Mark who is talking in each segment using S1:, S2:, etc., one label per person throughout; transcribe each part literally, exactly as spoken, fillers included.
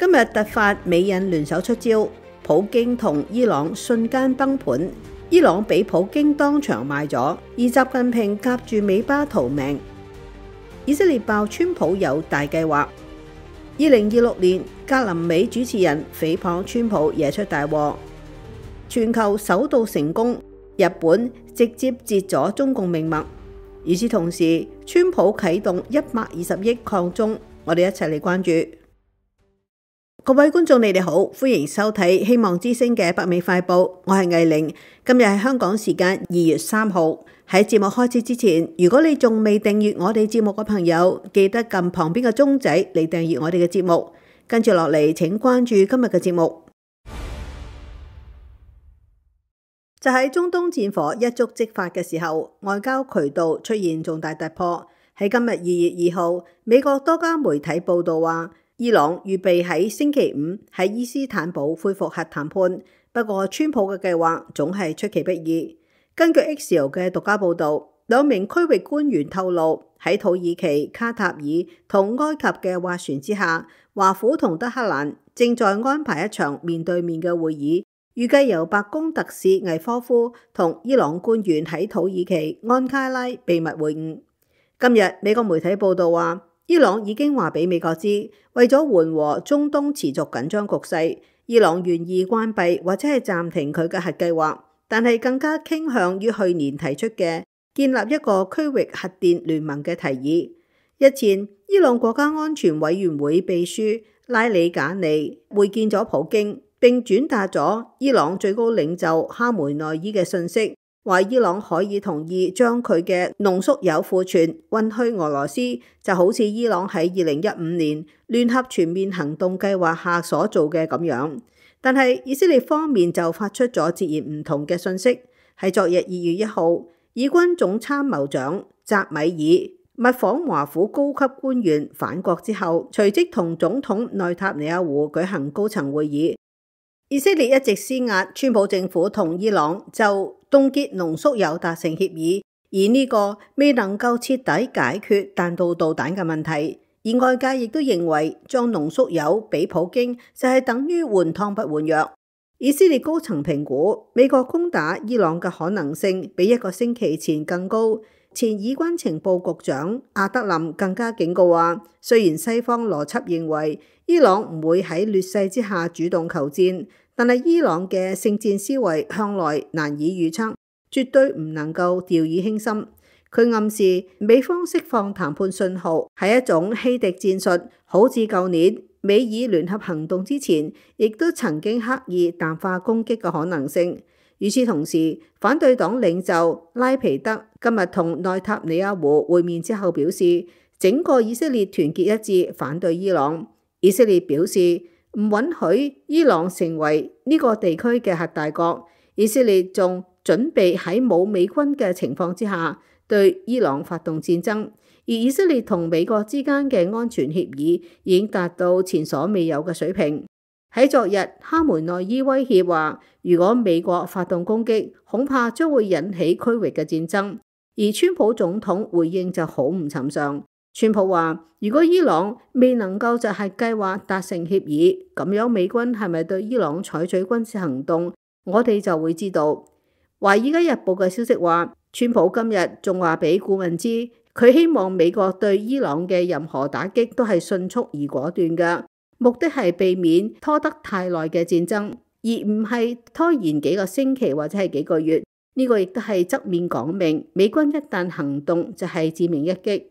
S1: 今日突發美印聯手出招，普京同伊朗瞬間崩盤，伊朗俾普京當場賣咗，而習近平夾住尾巴逃命。以色列爆川普有大計劃。二零二六年，格林美主持人誹謗川普惹出大禍，全球首度成功，日本直接截咗中共命脈。與此同時，川普啟動一百二十億抗中，我哋一齊嚟關注。各位觀眾，你哋好，歡迎收睇希望之聲嘅北美快報，我係藝玲。今日係香港時間二月三號。喺節目開始之前，如果你仲未訂閱我哋節目嘅朋友，記得撳旁邊嘅鐘仔嚟訂閱我哋嘅節目。跟住落嚟，請關注今日嘅節目。就喺中東戰火一觸即發嘅時候，外交渠道出現重大突破。喺今日二月二號，美國多家媒體報道話，伊朗預備喺星期五喺伊斯坦堡恢復核談判，不過川普嘅計劃總係出其不意。根據 Axios 嘅獨家報導，兩名區域官員透露，喺土耳其、卡塔爾同埃及嘅斡旋之下，華府同德黑蘭正在安排一場面對面嘅會議，預計由白宮特使魏科夫同伊朗官員喺土耳其安卡拉秘密會晤。今日美國媒體報導話，伊朗已經話俾美國知，為咗緩和中東持續緊張局勢，伊朗願意關閉或者係暫停佢嘅核計劃，但係更加傾向於去年提出嘅建立一個區域核電聯盟嘅提議。日前，伊朗國家安全委員會秘書拉里賈尼會見咗普京，並轉達咗伊朗最高領袖哈梅內伊嘅訊息，話伊朗可以同意將佢嘅濃縮鈾庫存運去俄羅斯，就好似伊朗喺二零一五年聯合全面行動計劃下所做嘅咁樣。但係以色列方面就發出咗截然唔同嘅訊息。喺昨日二月一號，以軍總參謀長扎米爾密訪華府高級官員返國之後，隨即同總統內塔尼亞胡舉行高層會議。以色列一直施壓，川普政府同伊朗就凍結濃縮鈾達成協議，而呢個未能夠徹底解決彈道導彈嘅問題。而外界亦都認為將濃縮鈾俾普京就係等於換湯不換藥。以色列高層評估美國攻打伊朗嘅可能性比一個星期前更高。前以軍情報局長阿德林更加警告話，雖然西方邏輯認為伊朗唔會喺劣勢之下主動求戰，但係伊朗嘅聖戰思維向來難以預測，絕對唔能夠掉以輕心。佢暗示美方釋放談判信號係一種欺敵戰術，好似舊年美以聯合行動之前，亦都曾經刻意淡化攻擊嘅可能性。與此同時，反對黨領袖拉皮德今日同內塔尼亞胡會面之後表示，整個以色列團結一致反對伊朗。以色列表示唔允許伊朗成為呢個地區嘅核大國。以色列仲準備喺冇美軍嘅情況之下對伊朗發動戰爭。而以色列同美國之間嘅安全協議已經達到前所未有嘅水平。喺昨日，哈梅內伊威脅話，如果美國發動攻擊，恐怕將會引起區域嘅戰爭。而川普總統回應就好唔尋常。川普話，如果伊朗未能夠就係計劃達成協議，咁樣美軍係咪對伊朗採取軍事行動，我哋就會知道。華爾街日報嘅消息話，川普今日仲話俾顧問知，佢希望美國對伊朗嘅任何打擊都係迅速而果斷嘅。目的係避免拖得太耐嘅戰爭，而唔係拖延幾個星期或者係幾個月。呢個亦都係側面講明，美軍一旦行動就係致命一擊。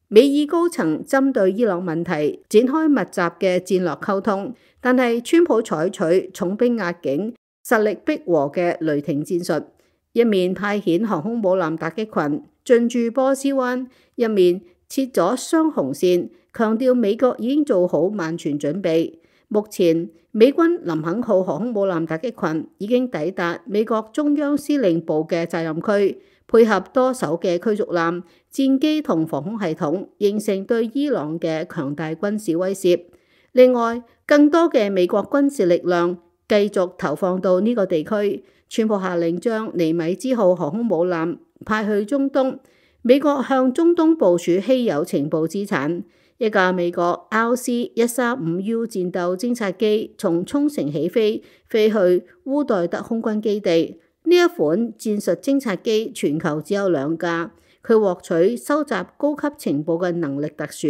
S1: 美以高層針對伊朗問題展開密集嘅戰略溝通，但係川普採取重兵壓境、實力逼和嘅雷霆戰術，一面派遣航空母艦打擊群進駐波斯灣，一面設咗雙紅線，強調美國已經做好萬全準備。目前美軍林肯號航空母艦打擊群已經抵達美國中央司令部嘅責任區，配合多艘嘅驅逐艦、戰機同防空系統，形成對伊朗嘅強大軍事威懾。另外，更多嘅美國軍事力量繼續投放到呢個地區。川普下令將尼米茲號航空母艦派去中東。美國向中東部署稀有情報資產。一架美國 R C 一三五 U 戰鬥偵察機從沖繩起飛，飛去烏代德空軍基地。呢一款戰術偵察機全球只有兩架，佢獲取收集高級情報嘅能力特殊。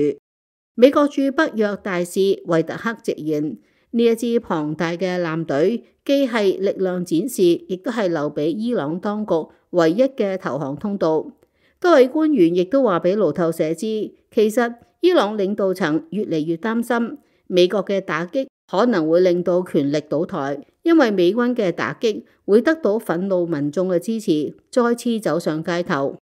S1: 美國駐北約大使維特克直言，呢一支龐大嘅艦隊既係力量展示，亦都係留俾伊朗當局唯一嘅投降通道。多位官員亦都話俾路透社知，其實伊朗領導層越嚟越擔心美國嘅打擊可能會令到權力倒台，因為美軍嘅打擊會得到憤怒民眾嘅支持，再次走上街頭。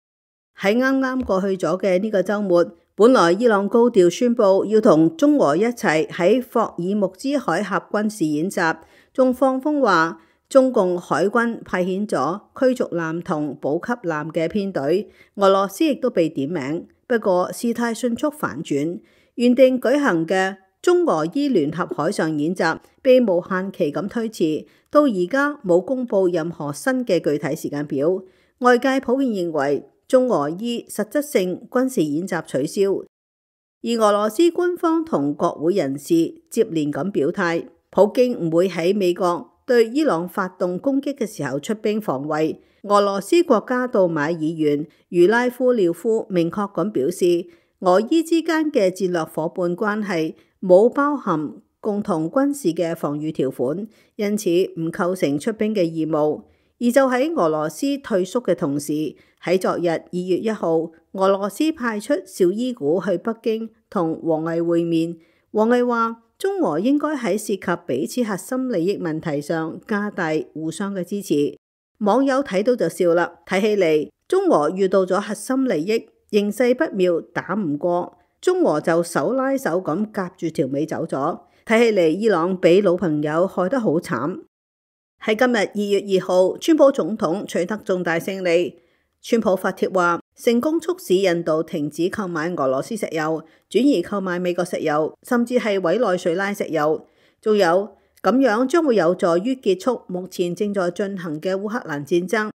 S1: 喺啱啱過去咗嘅呢個週末，本來伊朗高調宣布要同中俄一齊喺霍爾木茲海峽軍事演習，仲放風話中共海軍派遣咗驅逐艦同補給艦嘅編隊，俄羅斯亦都被點名。不過事態迅速反轉，原定舉行嘅中俄伊聯合海上演習被無限期咁推遲，到而家冇公布任何新嘅具體時間表。外界普遍認為中俄伊實質性軍事演習取消，而俄羅斯官方同國會人士接連咁表態，普京唔會喺美國對伊朗發動攻擊嘅時候出兵防衛。俄羅斯國家杜馬議員茹拉夫廖夫明確咁表示，俄伊之間嘅戰略夥伴關係冇包含共同軍事嘅防禦條款，因此唔構成出兵嘅義務。而就喺俄羅斯退縮嘅同時，喺昨日二月一號，俄羅斯派出紹伊古去北京同王毅會面。王毅話，中俄應該喺涉及彼此核心利益問題上加大互相嘅支持。網友睇到就笑啦，睇起嚟中俄遇到咗核心利益，形勢不妙，打唔過，中俄就手拉手咁夾住條尾走咗。睇起嚟伊朗俾老朋友害得好慘。喺今日二月二號，川普總統取得重大勝利。川普發帖話，成功促使印度停止購買俄羅斯石油，轉移購買美國石油，甚至係委內瑞拉石油。仲有咁樣將會有助於結束目前正在進行嘅烏克蘭戰爭。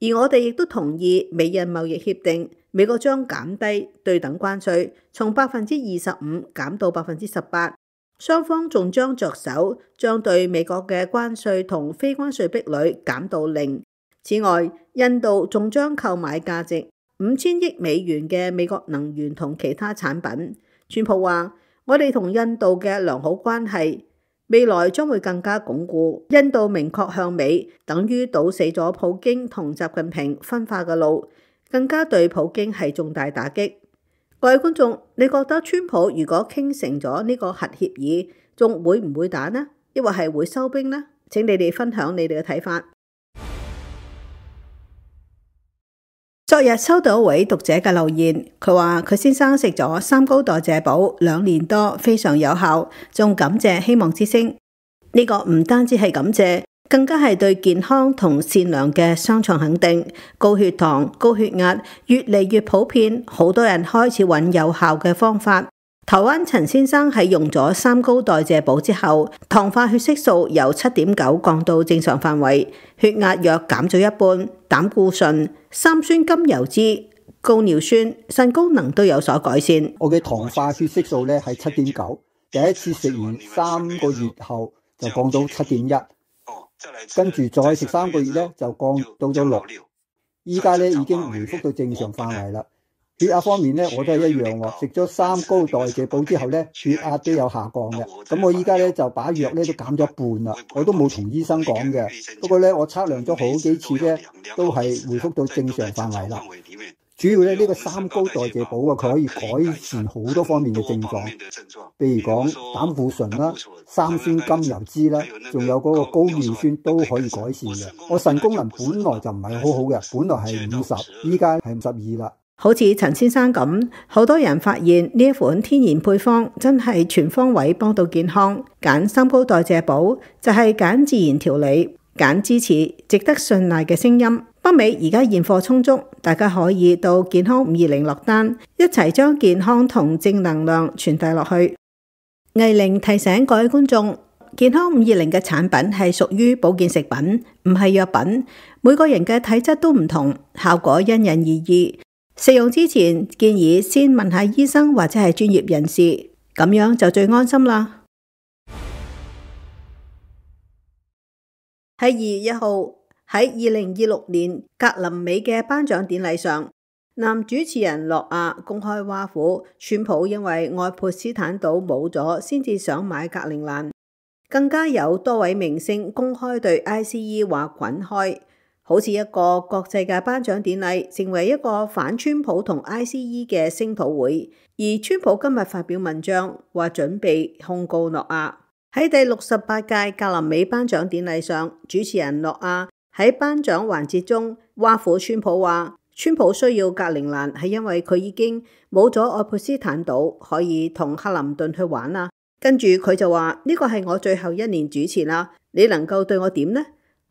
S1: 而我哋亦都同意美印貿易協定，美國將減低對等關稅，從百分之二十五減到百分之十八。雙方仲將着手將對美國嘅關稅同非關稅壁壘減到零。此外，印度仲將購買價值五千億美元嘅美國能源同其他產品。川普話，我哋同印度嘅良好關係未來將會更加鞏固。印度明確向美，等於堵死咗普京同習近平分化嘅路，更加對普京係重大打擊。各位觀眾，你覺得川普如果傾成咗呢個核協議，仲會唔會打呢？抑或係會收兵呢？請你哋分享你哋嘅睇法。昨日收到一位讀者嘅留言，佢話佢先生食咗三高代謝寶兩年多，非常有效，仲感謝希望之聲。呢個唔單止係感謝，更加係對健康同善良嘅雙重肯定。高血糖、高血壓越嚟越普遍，好多人開始揾有效嘅方法。台灣陳先生喺用咗三高代謝寶之後，糖化血色素由七點九降到正常範圍，血壓約減咗一半，膽固醇、三酸甘油脂、高尿酸、腎功能都有所改善。
S2: 我嘅糖化血色素咧係七點九，第一次食完三個月後就降到七點一，跟住再食三個月咧就降到咗六，依家咧已經回復到正常範圍啦。血壓方面咧，我都係一樣喎。食咗三高代謝寶之後咧，血壓都有下降嘅。咁我依家咧就把藥咧都減咗一半啦。我都冇同醫生講嘅。不過咧，我測量咗好幾次咧，都係回復到正常範圍啦。主要咧呢個三高代謝寶啊，佢可以改善好多方面嘅症狀，譬如講膽固醇啦、三酸甘油脂啦，仲有嗰個高尿酸都可以改善嘅。我腎功能本來就唔係好好嘅，本來係五十，依家係五十二啦。
S1: 好似陳先生咁，好多人發現呢一款天然配方真係全方位幫到健康。揀三高代謝寶就係揀自然調理，揀支持值得信賴嘅聲音。北美而家現貨充足，大家可以到健康五二零落單，一齊將健康同正能量傳遞落去。藝玲提醒各位觀眾，健康五二零嘅產品係屬於保健食品，唔係藥品。每個人嘅體質都唔同，效果因人而異。食用之前建議先問下醫生或者係專業人士，咁樣就最安心啦。喺二月一號，喺二零二六年格林美嘅頒獎典禮上，男主持人諾亞公開挖苦川普因為愛潑斯坦島冇咗，先至想買格陵蘭。更加有多位明星公開對 I C E 話滾開，好似一個國際嘅頒獎典禮成為一個反川普同 I C E 嘅聲討會。而川普今日發表文章話準備控告諾亞。喺第六十八屆格林美頒獎典禮上，主持人諾亞喺頒獎環節中挖苦川普話，川普需要格陵蘭係因為佢已經冇咗愛潑斯坦島可以同克林頓去玩啦。跟住佢就話呢個係我最後一年主持啦，你能夠對我點呢？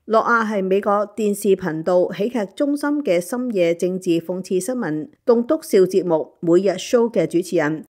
S1: 諾亞係美國電視頻道喜劇中心嘅深夜政治諷刺新聞棟篤笑節目每日 show 嘅主持人。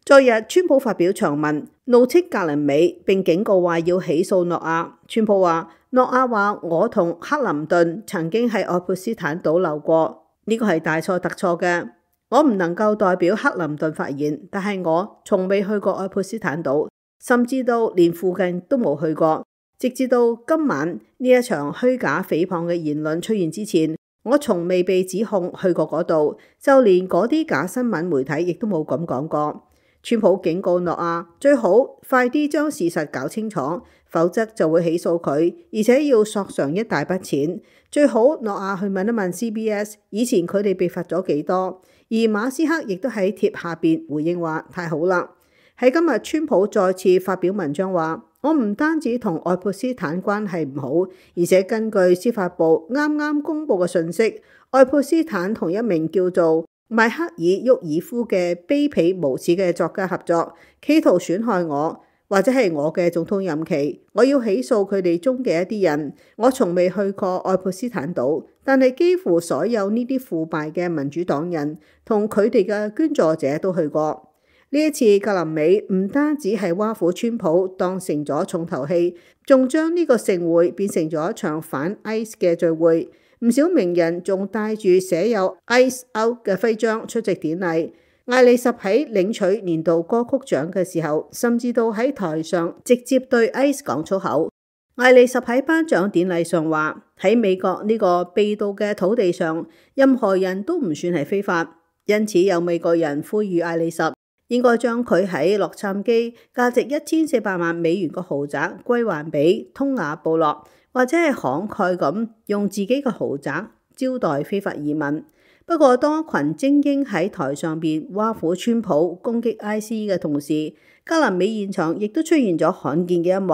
S1: 昨日川普發表長文怒斥格林美，並警告話要起訴諾亞。川普話諾亞話我同克林頓曾經喺愛潑斯坦島流過，呢個係大錯特錯嘅。我唔能夠代表克林頓發言，但係我從未去過愛潑斯坦島，甚至到連附近都冇去過。直至到今晚呢一場虛假誹謗嘅言論出現之前，我從未被指控去過嗰度，就連嗰啲假新聞媒體亦都冇咁講過。川普警告諾亞最好快啲將事實搞清楚，否則就會起訴佢，而且要索償一大筆錢。最好諾亞去問一問 C B S 以前佢哋被罰咗幾多。而馬斯克亦都喺貼下邊回應話太好啦。喺今日川普再次發表文章話，我唔單止同愛潑斯坦關係唔好，而且根據司法部啱啱公布嘅信息，愛潑斯坦同一名叫做邁克爾沃爾夫嘅卑鄙無恥嘅作家合作，企圖損害我或者係我嘅總統任期。我要起訴佢哋中嘅一啲人。我從未去過愛潑斯坦島，但係幾乎所有呢啲腐敗嘅民主黨人同佢哋嘅捐助者都去過。呢一次格林美唔單止係挖苦川普當成咗重頭戲，仲將呢個盛會變成咗一場反 I C E 嘅聚會。唔少名人仲帶住寫有 Ice Out 嘅徽章出席典禮。艾莉什喺領取年度歌曲獎嘅時候，甚至到喺台上直接對 I C E 講粗口。艾莉什喺頒獎典禮上話，喺美國呢個秘道嘅土地上，任何人都唔算係非法。因此有美國人呼籲艾莉什應該將佢喺洛杉磯價值一千四百萬美元嘅豪宅歸還俾通雅部落，或者係慷慨咁用自己嘅豪宅招待非法移民。不過當一群精英喺台上邊挖苦川普攻擊 I C E 嘅同時，格林美現場亦都出現咗罕見嘅一幕。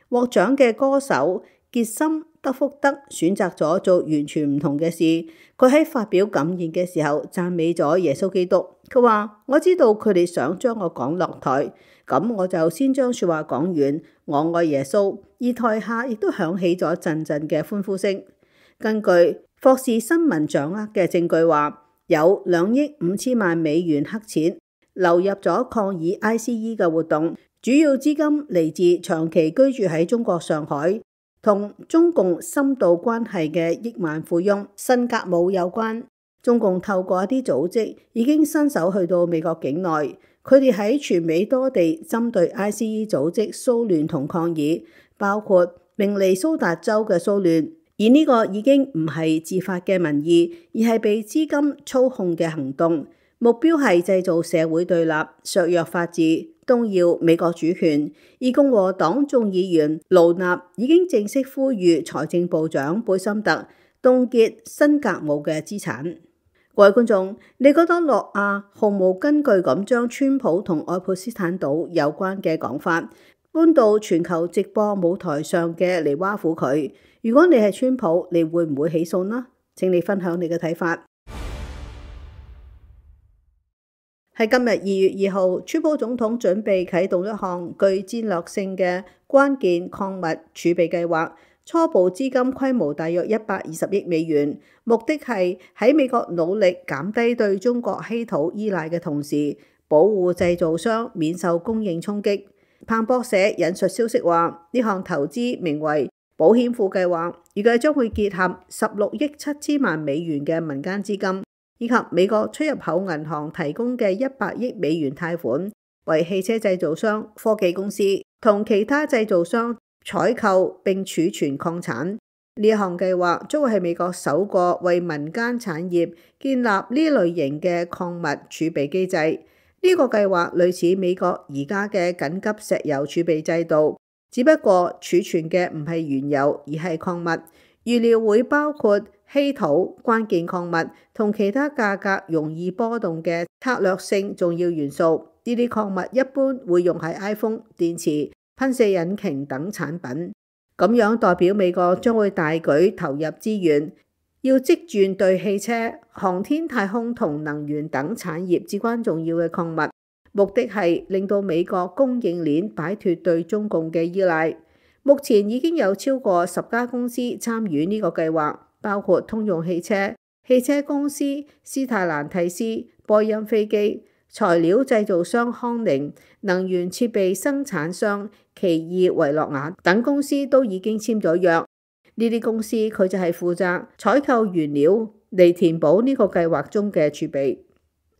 S1: 獲獎嘅歌手傑森德福德選擇咗做完全唔同嘅事。佢喺發表感言嘅時候讚美咗耶穌基督。佢話：我知道佢哋想將我趕落台，咁我就先將說話講完。我愛耶穌。而台下亦都響起咗陣陣嘅歡呼聲。根據霍士新聞掌握嘅證據話，有兩億五千萬美元黑錢流入咗抗議 I C E 嘅活動，主要資金嚟自長期居住喺中國上海同中共深度關係嘅億萬富翁辛格姆有關。中共透過一啲組織已經伸手去到美國境內，佢哋喺全美多地針對 I C E 組織騷亂同抗議，包括明尼蘇達州嘅騷亂。而呢個已經唔係自發嘅民意，而係被資金操控嘅行動，目標係製造社會對立、削弱法治、動搖美國主權。而共和黨眾議員盧納已經正式呼籲財政部長貝森特凍結辛格姆嘅資產。各位觀眾，你覺得諾亞毫無根據咁將川普同愛潑斯坦島有關嘅講法搬到全球直播舞台上嘅嚟挖苦佢？如果你係川普，你會唔會起訴呢？請你分享你嘅睇法。喺今日二月二號，川普總統準備啟動一項具戰略性嘅關鍵礦物儲備計劃，初步資金規模大約一百二十億美元，目的係喺美國努力減低對中國稀土依賴嘅同時，保護製造商免受供應衝擊。彭博社引述消息話，呢項投資名為保險庫計劃，預計將會結合十六億七千萬美元嘅民間資金，以及美國出入口銀行提供嘅一百億美元貸款，為汽車製造商、科技公司同其他製造商採購並儲存礦產。呢項計劃將會係美國首個為民間產業建立呢類型嘅礦物儲備機制。呢、這個計劃類似美國而家嘅緊急石油儲備制度，只不過儲存嘅唔係原油而係礦物，預料會包括稀土、關鍵礦物同其他價格容易波動嘅策略性重要元素。呢啲礦物一般會用喺 iPhone、電池、噴射引擎等產品。咁樣代表美國將會大舉投入資源，要積攢對汽車、航天、太空同能源等產業至關重要嘅礦物，目的係令到美國供應鏈擺脫對中共嘅依賴。目前已經有超過十家公司參與呢個計劃，包括通用汽車、汽車公司、斯泰蘭蒂斯、波音飛機、材料製造商康寧、能源設備生產商奇異維諾亞等公司都已經簽咗約。呢啲公司佢就係負責採購原料嚟填補呢個計劃中嘅儲備。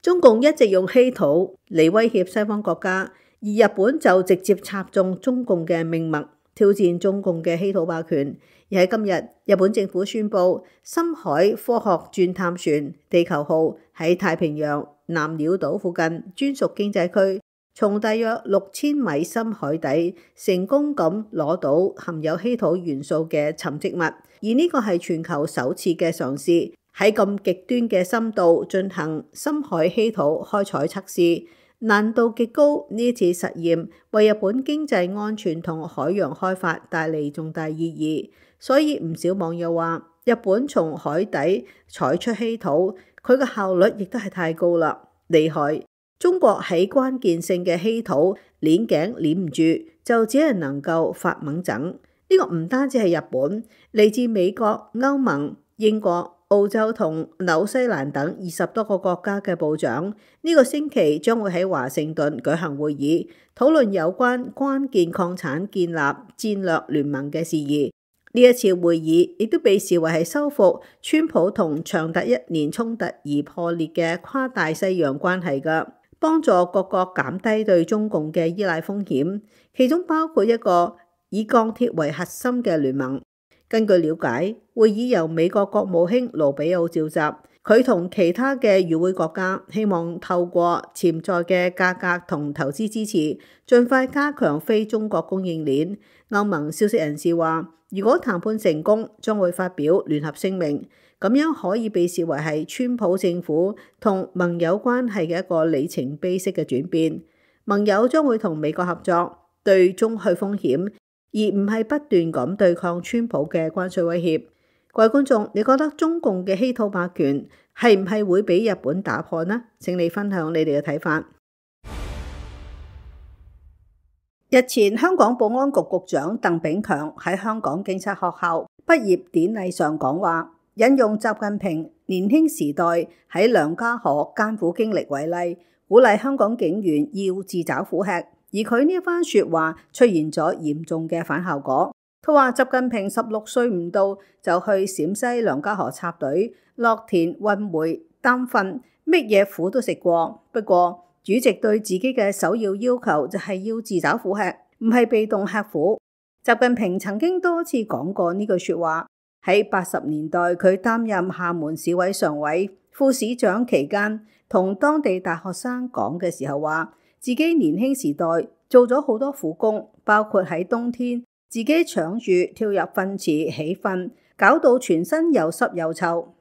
S1: 中共一直用稀土嚟威脅西方國家，而日本就直接插中中共嘅命脈，挑戰中共嘅稀土霸權。而喺今日，日本政府宣布深海科學鑽探船地球號喺太平洋南鳥島附近專屬經濟區，從大約六千米深海底成功咁攞到含有稀土元素嘅沉積物，而呢個係全球首次嘅嘗試，喺咁極端嘅深度進行深海稀土開採測試，難度極高。呢次實驗為日本經濟安全同海洋開發帶嚟重大意義，所以唔少網友話日本從海底採出稀土，佢嘅效率亦都係太高啦，厲害。中國喺關鍵性嘅稀土鏈頸鏈唔住，就只係能夠發猛整。呢、這個唔單止係日本，嚟自美國、歐盟、英國、澳洲同紐西蘭等二十多個國家嘅部長，呢、這個星期將會喺華盛頓舉行會議，討論有關關鍵礦產建立戰略聯盟嘅事宜。呢一次會議亦都被視為係修復川普同長達一年衝突而破裂嘅跨大西洋關係㗎，幫助各國減低對中共嘅依賴風險，其中包括一個以鋼鐵為核心嘅聯盟。根據了解，會議由美國國務卿盧比奧召集，佢同其他嘅與會國家希望透過潛在嘅價格同投資支持，盡快加強非中國供應鏈。歐盟消息人士話，如果談判成功，將會發表聯合聲明，咁樣可以被視為係川普政府同盟友關係嘅一個里程碑式嘅轉變。盟友將會同美國合作，對中去風險，而唔係不斷咁對抗川普嘅關稅威脅。各位觀眾，你覺得中共嘅稀土霸權係唔係會俾日本打破呢？請你分享你哋嘅睇法。日前，香港保安局局長鄧炳強喺香港警察學校畢業典禮上講話，引用習近平年輕時代喺梁家河艱苦經歷為例，鼓勵香港警員要自找苦吃。而佢呢番說話出現咗嚴重嘅反效果。佢話習近平十六歲唔到就去陝西梁家河插隊、落田運煤擔糞，乜嘢苦都食過。不過主席對自己嘅首要要求就係要自找苦吃，唔係被動吃苦。習近平曾經多次講過呢句說話。喺八十年代，佢擔任廈門市委常委、副市長期間，同當地大學生講嘅時候話，自己年輕時代做咗好多苦工，包括喺冬天自己搶住跳入糞池起糞，搞到全身又濕又臭。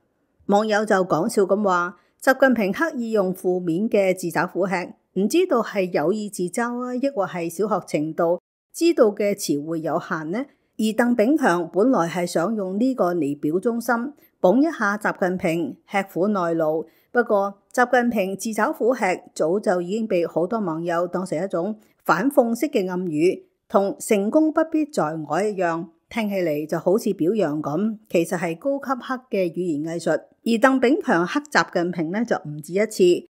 S1: 網友就講笑咁話，習近平刻意用負面嘅自找苦吃，唔知道係有意自嘲啊，抑或係小學程度知道嘅詞彙有限呢？而鄧炳強本來係想用呢個嚟表忠心，捧一下習近平吃苦耐勞。不過習近平自找苦吃早就已經被好多網友當成一種反諷式嘅暗語，同成功不必在我一樣，聽起嚟就好似表揚咁，其實係高級黑嘅語言藝術。而鄧炳強黑習近平呢，就唔止一次。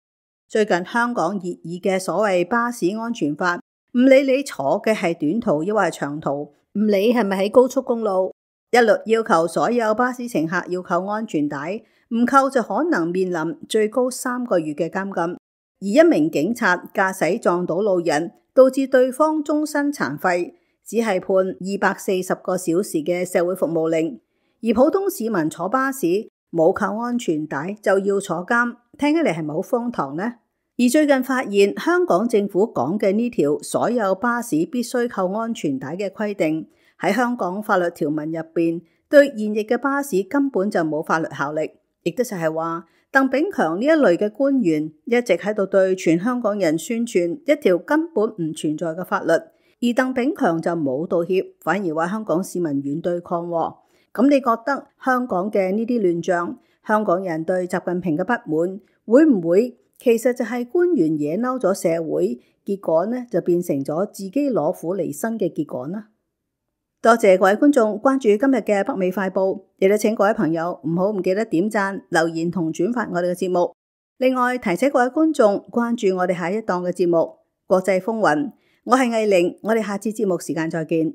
S1: 最近香港熱議嘅所謂巴士安全法，唔理你坐嘅係短途抑或係長途，唔理係咪喺高速公路，一律要求所有巴士乘客要扣安全帶，唔扣就可能面臨最高三個月嘅監禁。而一名警察駕駛撞到路人，導致對方終身殘廢，只係判二百四十個小時嘅社會服務令。而普通市民坐巴士冇扣安全帶就要坐監，聽起嚟係咪好荒唐呢？而最近發現香港政府講嘅呢條所有巴士必須扣安全帶嘅規定，喺香港法律條文入邊，對現役嘅巴士根本就冇法律效力。亦都就係話，鄧炳強呢一類嘅官員一直喺度對全香港人宣傳一條根本唔存在嘅法律，而鄧炳強就冇道歉，反而話香港市民軟對抗喎。咁你覺得香港嘅呢啲亂象，香港人對習近平嘅不滿，會唔會其實就係官員惹嬲咗社會，結果呢就變成咗自己攞苦離身嘅結果呢？多謝各位觀眾關注今日嘅北美快報，亦都請各位朋友唔好唔記得點讚、留言同轉發我哋嘅節目。另外提醒各位觀眾關注我哋下一檔嘅節目《國際風雲》，我係藝玲，我哋下次節目時間再見。